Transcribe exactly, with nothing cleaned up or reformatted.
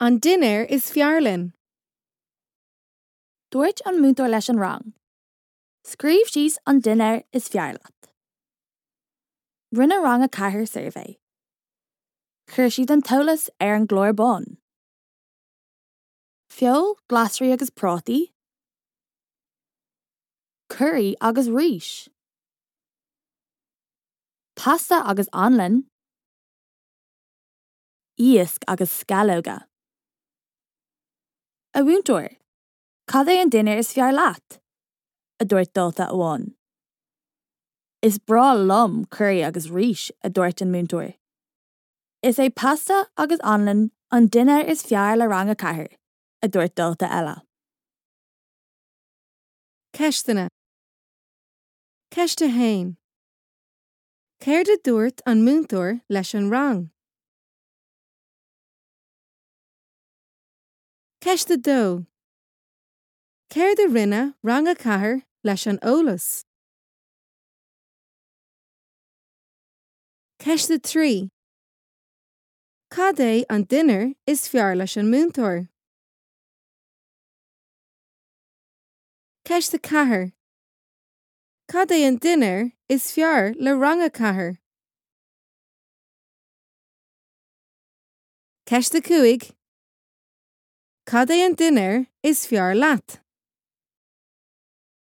An dinnéar is fearr linn. Dúirt an múinteoir leis an rang. Scríobh síos an dinnéar is fearr leat. Rinne rang a ceathair suirbhé. Chuir siad an t-eolas ar an gclár bán. Feoil, glasraí agus prátaí, Curaí agus rís. Pasta agus anlann, Iasc agus sceallóga. A mhúinteoir, Cad é an dinnéar is fearr leat? a dúirt dalta amháin. Is breá liom curaí agus rís a dúirt an múinteoir. Is é pasta agus anlann an dinnéar is fearr le rang a ceathair, a dúirt dalta eile. Ceisteanna. Ceist a haon. Céard a dúirt an múinteoir leis an rang? Ceist a dó. Céard a rinne rang a ceathair leis an eolas? Ceist a trí. Cad é an dinnéar is fearr leis an múinteoir? Ceist a ceathair. Cad é an dinnéar is fearr le rang a ceathair? Ceist a cúig. Cad é an dinnéar is fearr leat?